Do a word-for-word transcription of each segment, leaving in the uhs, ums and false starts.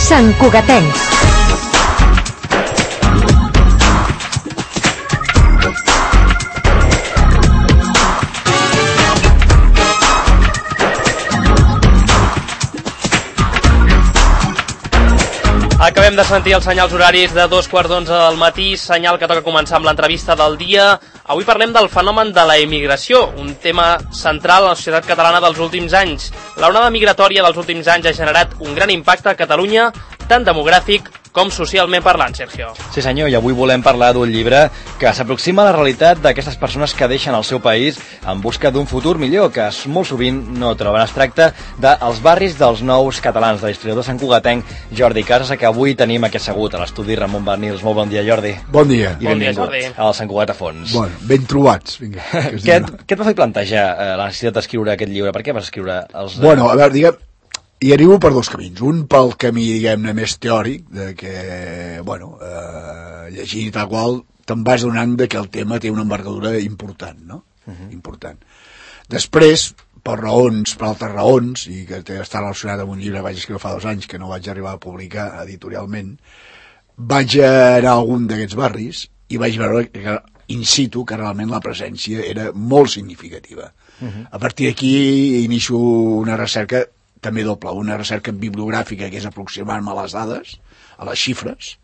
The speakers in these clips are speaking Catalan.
Sant Cugatencs. Acabem de sentir els senyals horaris de dos quarts d'onze del matí, senyal que toca començar amb l'entrevista del dia. Avui parlem del fenomen de la emigració, un tema central a la societat catalana dels últims anys. L'onada migratòria dels últims anys ha generat un gran impacte a Catalunya, tant demogràfic com socialment parlant, Sergio. Sí senyor, i avui volem parlar d'un llibre que s'aproxima a la realitat d'aquestes persones que deixen el seu país en busca d'un futur millor, que molt sovint no troben. Es tracta dels barris dels nous catalans, de l'historiador santcugatenc Jordi Casas, que avui tenim aquí assegut a l'estudi Ramon Bernils. Molt bon dia, Jordi. Bon dia. Bon I dia, benvingut Jordi. al Sant Cugat a fons. Bueno, ben trobats. Vinga, que què, et, què et va fer plantejar eh, la necessitat d'escriure aquest llibre? Per què vas escriure els... De... Bueno, a veure, diguem, hi arribo per dos camins. Un pel camí, diguem-ne, més teòric, de que, bueno, eh, llegint i tal qual, te'n vas donant de que el tema té una envergadura important, no? Uh -huh. Important. Després, per raons, per altres raons, i que està relacionat amb un llibre que vaig escriure fa dos anys, que no vaig arribar a publicar editorialment, vaig anar a algun d'aquests barris i vaig veure que, in situ, que realment la presència era molt significativa. Uh -huh. A partir d'aquí inicio una recerca també doble, una recerca bibliogràfica que és aproximar-me a les dades, a les xifres,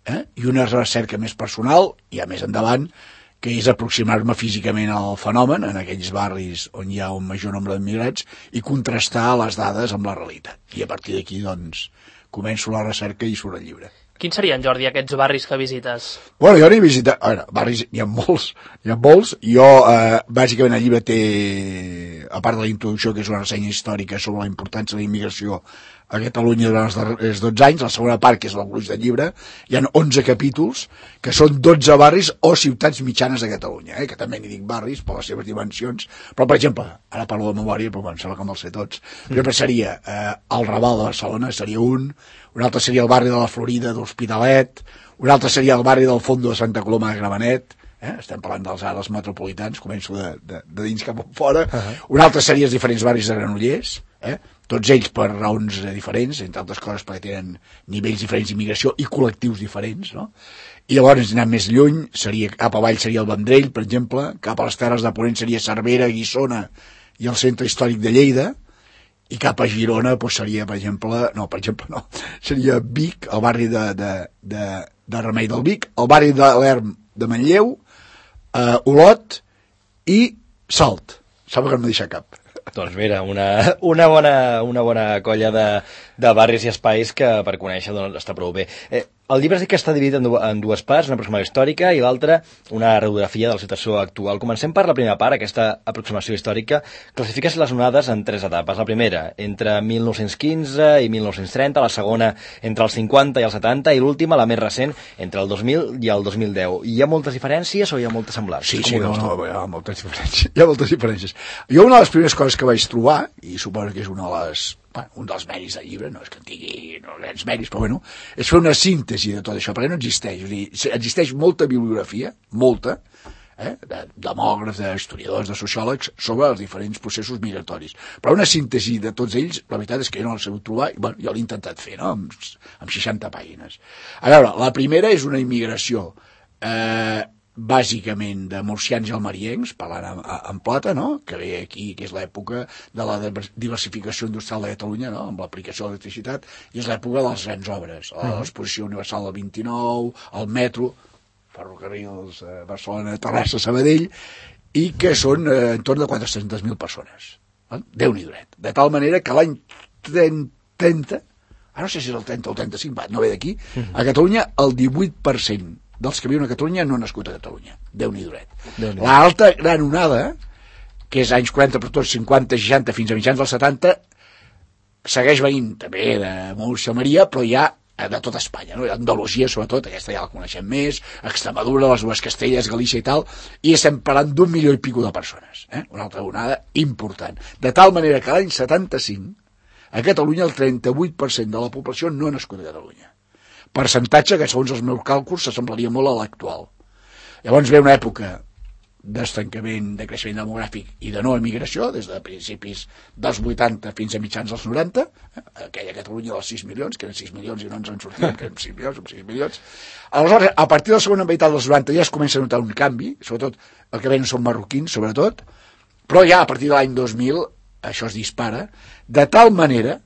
eh? I una recerca més personal, ja més endavant, que és aproximar-me físicament al fenomen en aquells barris on hi ha un major nombre d'immigrats i contrastar les dades amb la realitat. I a partir d'aquí, doncs, començo la recerca i surt el llibre. Quins serien, Jordi, aquests barris que visites? Bueno, jo n'he visitat... A veure, barris hi ha molts, hi ha molts. Jo, eh, bàsicament, el llibre té, a part de la introducció, que és una ressenya històrica sobre la importància de la immigració a Catalunya durant els darrers dotze anys, la segona part, que és el gruix del llibre, hi ha onze capítols, que són dotze barris o ciutats mitjanes de Catalunya, eh, que també n'hi dic barris per les seves dimensions, però, per exemple, ara parlo de memòria, però em sembla que me'ls sé tots, per exemple, seria eh, el Raval de Barcelona, seria un, un altre seria el barri de la Florida d'Hospitalet, un altre seria el barri del Fondo de Santa Coloma de Gramenet, eh? Estem parlant dels ares metropolitans, començo de, de, de dins cap a fora, uh -huh. Un altre seria els diferents barris de Granollers, eh? Tots ells per raons diferents, entre altres coses perquè tenen nivells diferents d'immigració i col·lectius diferents, no? I llavors, anant més lluny, seria, cap avall seria el Vendrell, per exemple, cap a les Terres de Ponent seria Cervera, Guissona i el centre històric de Lleida, i cap a Girona doncs seria, per exemple, no, per exemple no, seria Vic, el barri de, de, de, de Remei del Vic, el barri de l'Erm de Manlleu, eh, Olot i Salt. Sembla que no m'he deixat cap. Doncs mira, una, una, bona, una bona colla de, de barris i espais que per conèixer doncs, està prou bé. Eh, el llibre sí que està dividit en, du en dues parts, una aproximació històrica i l'altra una radiografia de la situació actual. Comencem per la primera part, aquesta aproximació històrica. Classifiques les onades en tres etapes. La primera, entre mil nou-cents quinze i mil nou-cents trenta, la segona, entre els cinquanta i els setanta, i l'última, la més recent, entre el dos mil i el dos mil deu. Hi ha moltes diferències o hi ha moltes semblants? Sí, sí, no, no, hi ha moltes diferències. Hi ha moltes diferències. Jo una de les primeres coses que vaig trobar, i suposo que és una de les, bueno, un dels mèrits del llibre, no és que en tingui no, grans mèrits, però bueno, és fer una síntesi de tot això, perquè no existeix. O sigui, existeix molta bibliografia, molta, eh, de demògrafs, d'historiadors, de sociòlegs, sobre els diferents processos migratoris. Però una síntesi de tots ells, la veritat és que jo no l'he sabut trobar, i bueno, jo l'he intentat fer, no?, amb, amb seixanta pàgines. A veure, la primera és una immigració eh, bàsicament de murcians i almeriencs, parlant en, en plata, no?, que ve aquí, que és l'època de la diversificació industrial de Catalunya, no?, amb l'aplicació de l'electricitat, i és l'època de les grans obres, l'exposició universal del vint-i-nou, el metro, ferrocarrils eh, Barcelona, Terrassa, Sabadell, i que són eh, entorn de quatre-centes mil persones. Eh? Déu-n'hi dret. De tal manera que l'any trenta, ara no sé si és el trenta o el trenta-cinc, va, no ve d'aquí, a Catalunya el divuit per cent dels que viuen a Catalunya no han nascut a Catalunya. Déu-n'hi dret. Déu L'alta gran onada, que és anys quaranta, per tots cinquanta, seixanta, fins a mitjans dels setanta, segueix venint també de Múrcia, Maria, però ja de tota Espanya, no? Andalusia sobretot, aquesta ja la coneixem més, Extremadura, les dues Castelles, Galícia i tal, i estem parlant d'un milió i pico de persones, eh? Una altra onada important. De tal manera que l'any setanta-cinc, a Catalunya el trenta-vuit per cent de la població no ha nascut a Catalunya. Percentatge que, segons els meus càlculs, s'assemblaria molt a l'actual. Llavors ve una època d'estancament, de creixement demogràfic i de no emigració, des de principis dels vuitanta fins a mitjans dels noranta, eh? Aquella Catalunya dels sis milions, que eren sis milions i no ens en sortíem, que eren sis milions, som sis milions. Aleshores, a partir de la segona meitat dels noranta ja es comença a notar un canvi, sobretot el que venen són marroquins, sobretot, però ja a partir de l'any dos mil això es dispara, de tal manera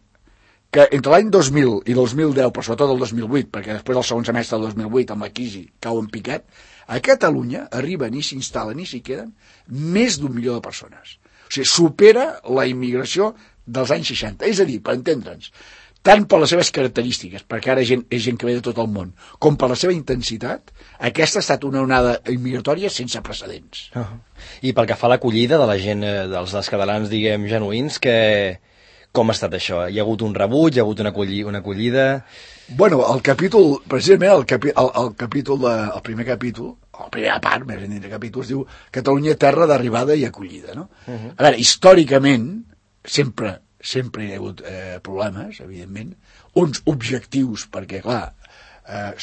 que entre l'any dos mil i dos mil deu, però sobretot el dos mil vuit, perquè després del segon semestre del dos mil vuit, amb la crisi, cau en picat, a Catalunya arriben i s'instal·len i s'hi queden més d'un milió de persones. O sigui, supera la immigració dels anys seixanta. És a dir, per entendre'ns, tant per les seves característiques, perquè ara gent, és gent que ve de tot el món, com per la seva intensitat, aquesta ha estat una onada immigratòria sense precedents. Uh -huh. I pel que fa a l'acollida de la gent, dels, dels catalans, diguem, genuïns, que... com ha estat això? Hi ha hagut un rebuig, hi ha hagut una, acolli... una acollida... Bueno, el capítol, precisament el, capi, el, el capítol, de, el primer capítol, la primera part, més ben dit de capítol, es diu Catalunya, terra d'arribada i acollida, no? Uh -huh. A veure, històricament, sempre, sempre hi ha hagut eh, problemes, evidentment, uns objectius, perquè, clar, eh,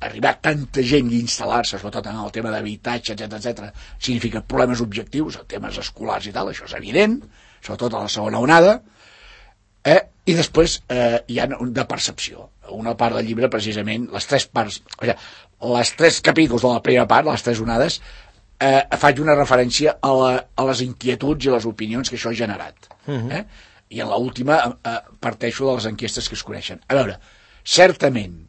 arribar tanta gent i instal·lar-se, sobretot en el tema d'habitatge, etcètera, etcètera, significa problemes objectius, temes escolars i tal, això és evident, sobretot a la segona onada, eh? I després eh, hi ha de percepció. Una part del llibre, precisament, les tres parts, o sigui, les tres capítols de la primera part, les tres onades, eh, faig una referència a, la, a les inquietuds i les opinions que això ha generat. Uh-huh. eh? I en l'última eh, parteixo de les enquestes que es coneixen. A veure, certament,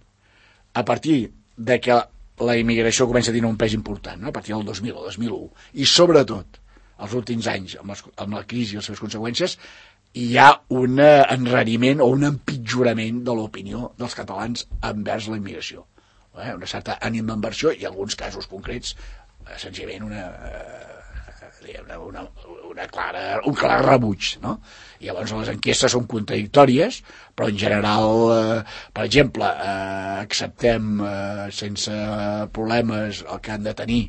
a partir de que la immigració comença a tenir un pes important, no? A partir del dos mil o dos mil u, i sobretot els últims anys, amb, les, amb la crisi i les seves conseqüències, hi ha un enrariment o un empitjorament de l'opinió dels catalans envers la immigració. Eh? Una certa ànima d'inversió i en alguns casos concrets, senzillament una, una, una, una clara, un clar rebuig, no? I llavors les enquestes són contradictòries, però en general, eh, per exemple, eh, acceptem eh, sense problemes el que han de tenir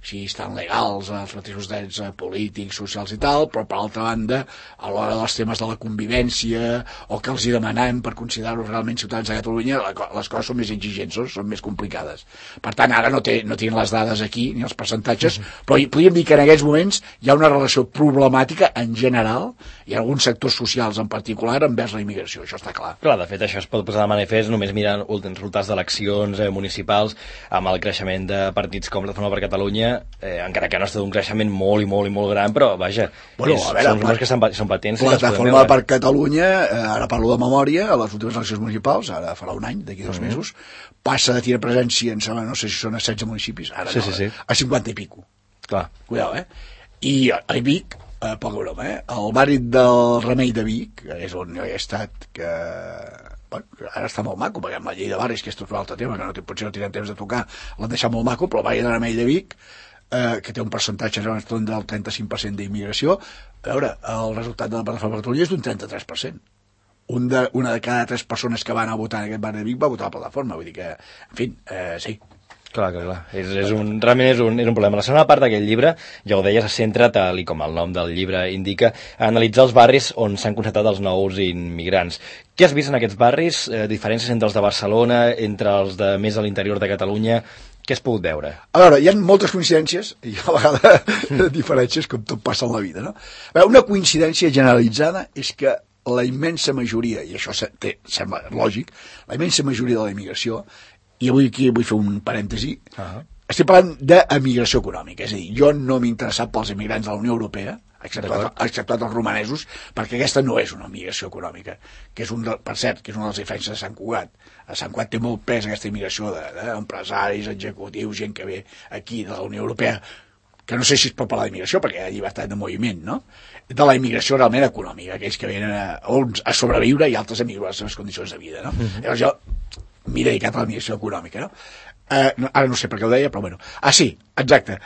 si estan legals, els mateixos drets polítics, socials i tal, però per altra banda, a l'hora dels temes de la convivència o que els hi demanem per considerar-los realment ciutadans de Catalunya, les coses són més exigents, són més complicades. Per tant, ara no, té, no tenen les dades aquí, ni els percentatges, mm-hmm. però podríem dir que en aquests moments hi ha una relació problemàtica en general i en alguns sectors socials en particular envers la immigració, això està clar. Clar, de fet, això es pot posar de manifest només mirant els resultats d'eleccions eh, municipals amb el creixement de partits com Plataforma per Catalunya. Eh, encara que no ha estat un creixement molt i molt i molt gran, però vaja, bueno, és, a veure, són números que són, són patents. Plataforma per Catalunya, eh, ara parlo de memòria, a les últimes eleccions municipals, ara farà un any, d'aquí dos mm-hmm. mesos, passa de tenir presència, em sembla, no sé si són a setze municipis, ara sí, no, sí, sí. a cinquanta i pico. Clar. Cuidao, eh? I a Vic, eh, poca broma, eh? El barri del Remei de Vic, que és on jo he estat, que... Bueno, ara està molt maco, perquè amb la llei de barris, que és tot un altre tema, que no, potser no tindrem temps de tocar, l'han deixat molt maco, però el barri del Remei de Vic, eh, que té un percentatge del trenta-cinc per cent d'immigració, a veure, el resultat de la Plataforma per Catalunya és d'un trenta-tres per cent. Un de, una de cada tres persones que van a votar en aquest barri de Vic va votar a la Plataforma, vull dir que, en fi, eh, sí. Clar, clar, clar. És, és un, realment és un, és un problema. La segona part d'aquest llibre, ja ho deies, se centra, tal i com el nom del llibre indica, a analitzar els barris on s'han concentrat els nous immigrants. Què has vist en aquests barris? Eh, diferències entre els de Barcelona, entre els de més a l'interior de Catalunya? Què has pogut veure? A veure, hi ha moltes coincidències i a vegades mm. diferències, com tot passa en la vida, no? A veure, una coincidència generalitzada és que la immensa majoria, i això té, sembla lògic, la immensa majoria de la immigració, i avui aquí vull fer un parèntesi, uh-huh. estic parlant d'emigració econòmica, és a dir, jo no m'he interessat pels immigrants de la Unió Europea, exceptuat, exceptuat els romanesos, perquè aquesta no és una immigració econòmica, que és un de, per cert, que és una de les diferències de Sant Cugat. A Sant Cugat té molt pes aquesta immigració d'empresaris, de, executius, gent que ve aquí de la Unió Europea, que no sé si es pot parlar d'immigració, perquè hi ha llibertat de moviment, no? De la immigració realment econòmica, aquells que venen a, a sobreviure i altres a millorar les seves condicions de vida, no? Uh-huh. Llavors jo m'he dedicat a la immigració econòmica, no? Eh, no? Ara no sé per què ho deia, però bueno. Ah, sí, exacte.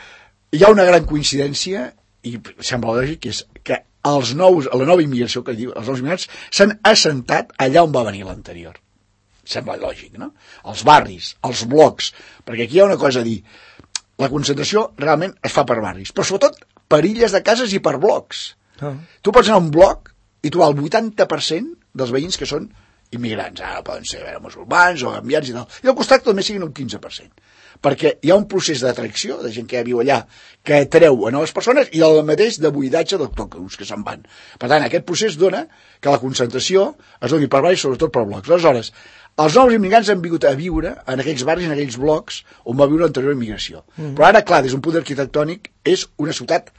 Hi ha una gran coincidència, i sembla lògic, que és que els nous, la nova immigració que diu, els nous immigrants s'han assentat allà on va venir l'anterior. Sembla lògic, no? Els barris, els blocs, perquè aquí hi ha una cosa a dir. La concentració realment es fa per barris, però sobretot per illes de cases i per blocs. Oh. Tu pots anar a un bloc i trobar el vuitanta per cent dels veïns que són immigrants, ara poden ser veure, musulmans o canviants i tal, i al costat també siguin un quinze per cent, perquè hi ha un procés d'atracció de gent que ja viu allà, que atreu a noves persones, i el mateix de buidatge d'autòctons que se'n van. Per tant, aquest procés dona que la concentració es doni per barris, sobretot per blocs. Aleshores, els nous immigrants han vingut a viure en aquells barris, en aquells blocs on va viure l'anterior immigració. Mm. Però ara, clar, des d'un punt arquitectònic, és una ciutat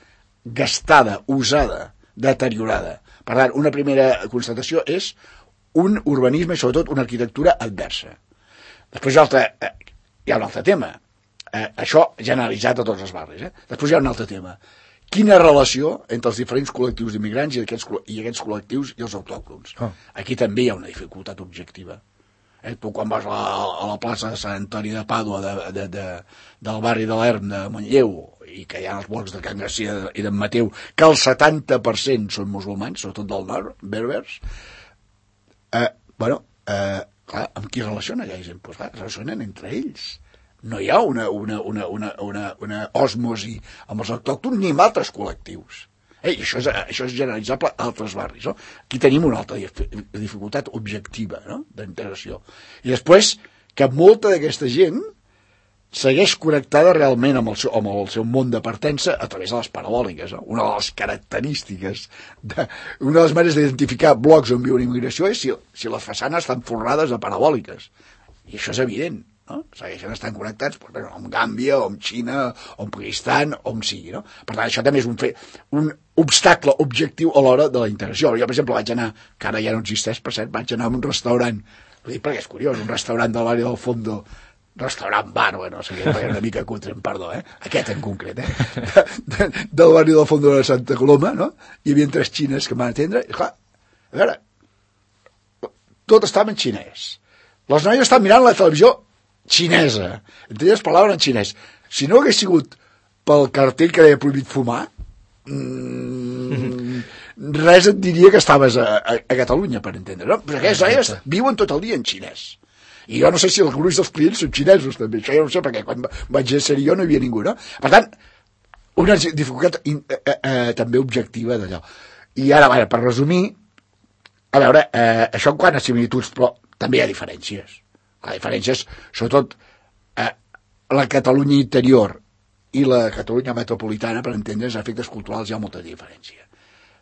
gastada, usada, deteriorada. Per tant, una primera constatació és un urbanisme i sobretot una arquitectura adversa. Després hi ha, altre, eh, hi ha un altre tema. Eh, això generalitzat a tots els barris. Eh? Després hi ha un altre tema. Quina relació entre els diferents col·lectius d'immigrants i aquests, i aquests col·lectius i els autòctons? Oh. Aquí també hi ha una dificultat objectiva. Eh? Tu quan vas a la, a la plaça de Sant Antoni de Pàdua de, de, de, del barri de l'Erm de Manlleu, i que hi ha els blocs de Can Garcia i d'en Mateu, que el setanta per cent són musulmans, sobretot del nord, berbers, eh, bueno, eh, clar, amb qui relaciona aquella gent? Pues, clar, relacionen entre ells. No hi ha una, una, una, una, una, una osmosi amb els autòctons ni amb altres col·lectius. Eh, I això és, això és generalitzable a altres barris. No? Aquí tenim una altra dificultat objectiva, no? D'integració. I després, que molta d'aquesta gent segueix connectada realment amb el seu, amb el seu món de partença a través de les parabòliques. No? Una de les característiques, de, una de les maneres d'identificar blocs on viu una immigració és si, si les façanes estan forrades de parabòliques. I això és evident. No? Segueixen estant connectats pues, bueno, amb Gàmbia, o amb Xina, o amb Pakistan, o amb sigui. No? Per tant, això també és un, fe, un obstacle objectiu a l'hora de la integració. Jo, per exemple, vaig anar, que ara ja no existeix, per cert, vaig anar a un restaurant, ho dic perquè és curiós, un restaurant de l'àrea del Fondo, restaurant bar, bueno, no sé què, una mica cutre, perdó, eh? Aquest en concret, eh? De, de, del barri del Fondo de Santa Coloma, no? Hi havia tres xines que em van atendre, i clar, a veure, tot estava en xinès. Les noies estaven mirant la televisió xinesa, entre elles parlaven en xinès. Si no hagués sigut pel cartell que deia prohibit fumar, mmm, res et diria que estaves a, a, a Catalunya, per entendre, no? Però aquestes noies viuen tot el dia en xinès. I jo no sé si el gruix dels clients són xinesos, també. Això jo no sé, perquè quan vaig ser jo no hi havia ningú, no? Per tant, una dificultat eh, eh, eh, també objectiva d'allò. I ara, bueno, per resumir, a veure, eh, això en quant a similituds, però també hi ha diferències. La diferències, sobretot, eh, la Catalunya interior i la Catalunya metropolitana, per entendre's, a efectes culturals hi ha molta diferència.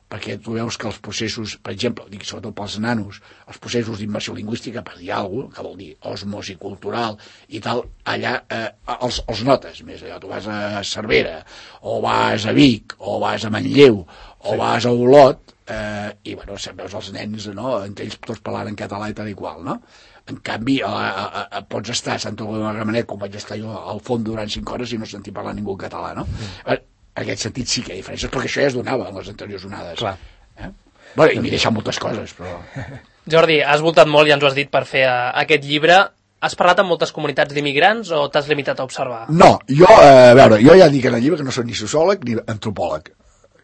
Perquè tu veus que els processos, per exemple, dic sobretot pels nanos, els processos d'immersió lingüística, per dir alguna cosa, que vol dir osmosi cultural i tal, allà eh, els, els notes més. Allò, tu vas a Cervera, o vas a Vic, o vas a Manlleu, o sí. vas a Olot, eh, i bueno, veus els nens, no?, entre ells tots parlant en català i tal i qual, no? En canvi, a, a, a, pots estar a Santa Coloma de Gramenet, com vaig estar jo al fons durant cinc hores i no sentir parlar ningú en català, no? Mm. En aquest sentit sí que hi ha diferències, perquè això ja es donava en les anteriors onades. Clar. Eh? Bueno, i m'he deixat moltes coses, però... Jordi, has voltat molt i ens ho has dit per fer uh, aquest llibre. Has parlat amb moltes comunitats d'immigrants o t'has limitat a observar? No, jo, eh, a veure, jo ja dic en el llibre que no soc ni sociòleg ni antropòleg,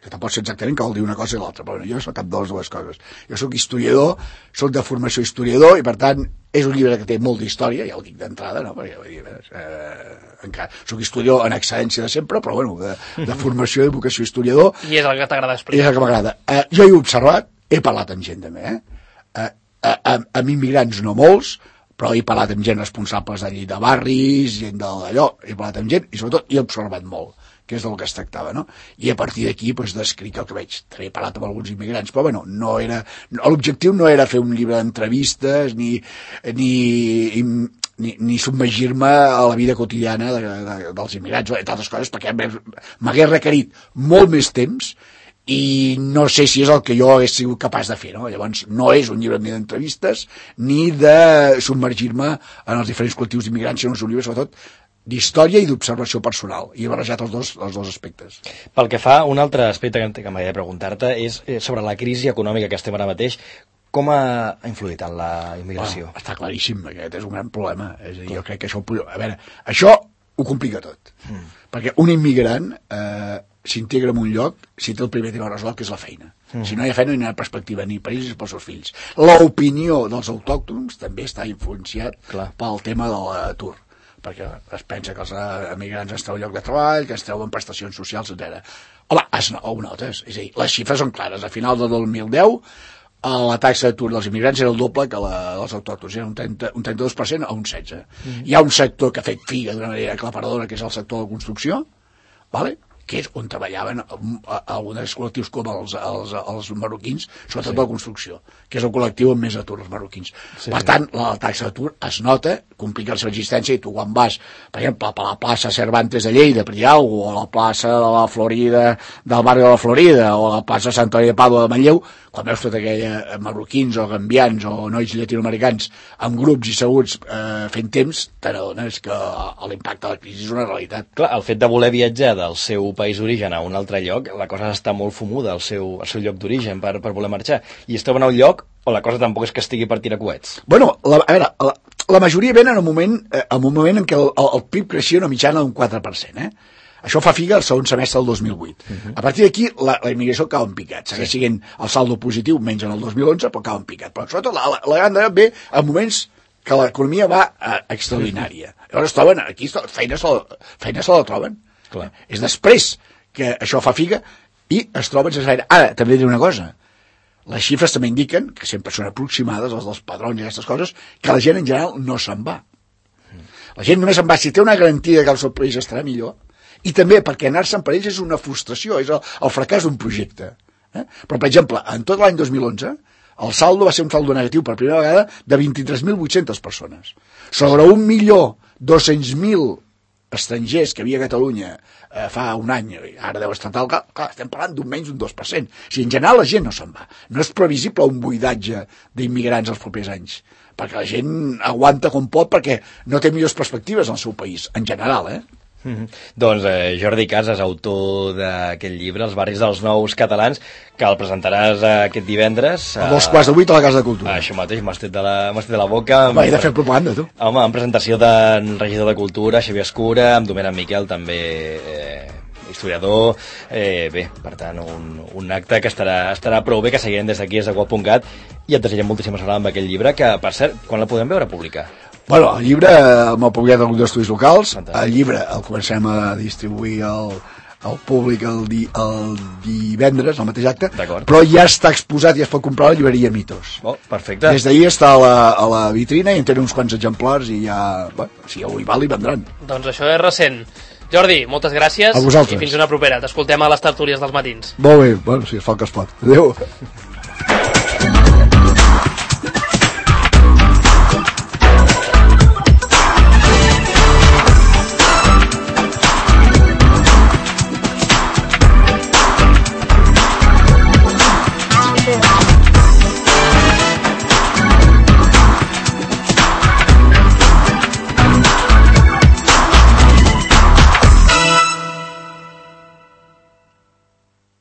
que tampoc sé exactament que vol dir una cosa i l'altra, però bueno, jo soc cap de les dues coses. Jo soc historiador, soc de formació historiador, i per tant és un llibre que té molt d'història, ja ho dic d'entrada, no? Perquè vull dir, eh, encara, soc historiador en excel·lència de sempre, però bueno, de, de formació i de vocació historiador. I és el que t'agrada explicar. I és el que m'agrada. Eh, jo he observat, he parlat amb gent també, eh? Eh, eh, amb, amb immigrants no molts, però he parlat amb gent responsables d'allí de barris, gent d'allò, he parlat amb gent, i sobretot he observat molt, que és del que es tractava, no? I a partir d'aquí, doncs, descric el que veig. També he parlat amb alguns immigrants, però, bueno, no era... L'objectiu no era fer un llibre d'entrevistes, ni, ni, ni, ni submergir-me a la vida quotidiana de, de, dels immigrants, i d'altres coses, perquè m'hagués requerit molt més temps, i no sé si és el que jo hagués sigut capaç de fer, no? Llavors, no és un llibre ni d'entrevistes, ni de submergir-me en els diferents col·lectius d'immigrants, sinó és un llibre, sobretot, d'història i d'observació personal, i he barrejat els dos, els dos aspectes. Pel que fa, un altre aspecte que, que m'agradaria preguntar-te és sobre la crisi econòmica que estem ara mateix. Com ha influït en la immigració? Bueno, està claríssim, aquest és un gran problema. És a dir, jo crec que això... A veure, això ho complica tot. Mm. Perquè un immigrant eh, s'integra en un lloc si té el primer tema resolt, que és la feina. Mm. Si no hi ha feina, no hi ha perspectiva ni per ells ni pels seus fills. L'opinió dels autòctons també està influenciat Clar. pel tema de l'atur, perquè es pensa que els emigrants es treuen lloc de treball, que es treuen prestacions socials, etcètera. Home, es, ho notes, és a dir, les xifres són clares. A final de dos mil deu, la taxa d'atur dels immigrants era el doble que la dels autòctons, era un, trenta, un trenta-dos per cent a un setze per cent. Mm. Hi ha un sector que ha fet figa d'una manera aclaparadora, que és el sector de la construcció, vale? Que és on treballaven alguns col·lectius com els, els, els marroquins, sobretot sí. La construcció, que és el col·lectiu amb més atur, els marroquins. Sí, per tant, la taxa d'atur es nota, complica la seva existència, i tu quan vas, per exemple, a la plaça Cervantes de Lleida, per dir alguna cosa, o a la plaça de la Florida, del barri de la Florida, o a la plaça Sant Antoni de Pàdua de Manlleu, quan veus tot aquella marroquins o gambians o nois llatinoamericans amb grups i seguts eh, fent temps, t'adones que l'impacte de la crisi és una realitat. Clar, el fet de voler viatjar del seu país d'origen a un altre lloc, la cosa està molt fumuda al seu, al seu lloc d'origen per, per voler marxar, i es troben a un lloc on la cosa tampoc és que estigui per tirar coets. Bueno, la, a veure, la, la majoria venen en un moment, eh, en un moment en què el, el, el P I B creixia una mitjana d'un quatre per cent, eh? Això fa figa el segon semestre del dos mil vuit. Uh-huh. A partir d'aquí, la, la immigració cau en picat. Segueix sí. Siguent el saldo positiu, menys en el dos mil onze, però cau en picat. Però sobretot la, la, la gran ve en moments que l'economia va eh, extraordinària. Llavors es troben, aquí feina se la, feina se la troben. Clar. És després que això fa figa i es troben sense gaire. Ara, també diré una cosa. Les xifres també indiquen, que sempre són aproximades, els dels padrons i aquestes coses, que la gent en general no se'n va. La gent només se'n va si té una garantia que el seu país estarà millor, i també perquè anar-se'n per ells és una frustració, és el, el fracàs d'un projecte. Eh? Però, per exemple, en tot l'any dos mil onze, el saldo va ser un saldo negatiu per primera vegada de vint-i-tres mil vuit-centes persones. Sobre un milió dos-cents mil estrangers que havia a Catalunya eh, fa un any, ara deu estar tal, clar, estem parlant d'un menys d'un dos per cent. O sigui, en general la gent no se'n va. No és previsible un buidatge d'immigrants els propers anys, perquè la gent aguanta com pot perquè no té millors perspectives al seu país, en general, eh? Mm-hmm. Doncs eh, Jordi Casas, autor d'aquest llibre, Els barris dels nous catalans, que el presentaràs eh, aquest divendres. A dos quarts de vuit a la Casa de Cultura. Eh, això mateix, m'has tret de la, m'has tret de la boca. Home, he de fer propaganda, tu. Home, en presentació del regidor de Cultura, Xavier Escura, amb Domènec Miquel, també eh, historiador. Eh, bé, per tant, un, un acte que estarà, estarà prou bé, que seguirem des d'aquí, des de guap punt cat, i et desitgem moltíssima sort amb aquest llibre, que, per cert, quan la podem veure publicar? Bueno, el llibre m'ha publicat el grup d'estudis locals. Fantàstic. El llibre el comencem a distribuir al, al públic el, di, el divendres, al mateix acte, però ja està exposat i es pot comprar a la llibreria Mitos. Oh, perfecte. Des d'ahir està a la, a la vitrina i en tenen uns quants exemplars i ja, bueno, si algú hi val, hi vendran. Doncs això és recent. Jordi, moltes gràcies i fins una propera. T'escoltem a les tertúlies dels matins. Molt bé, bueno, si es fa el que es pot. Adéu. Yeah.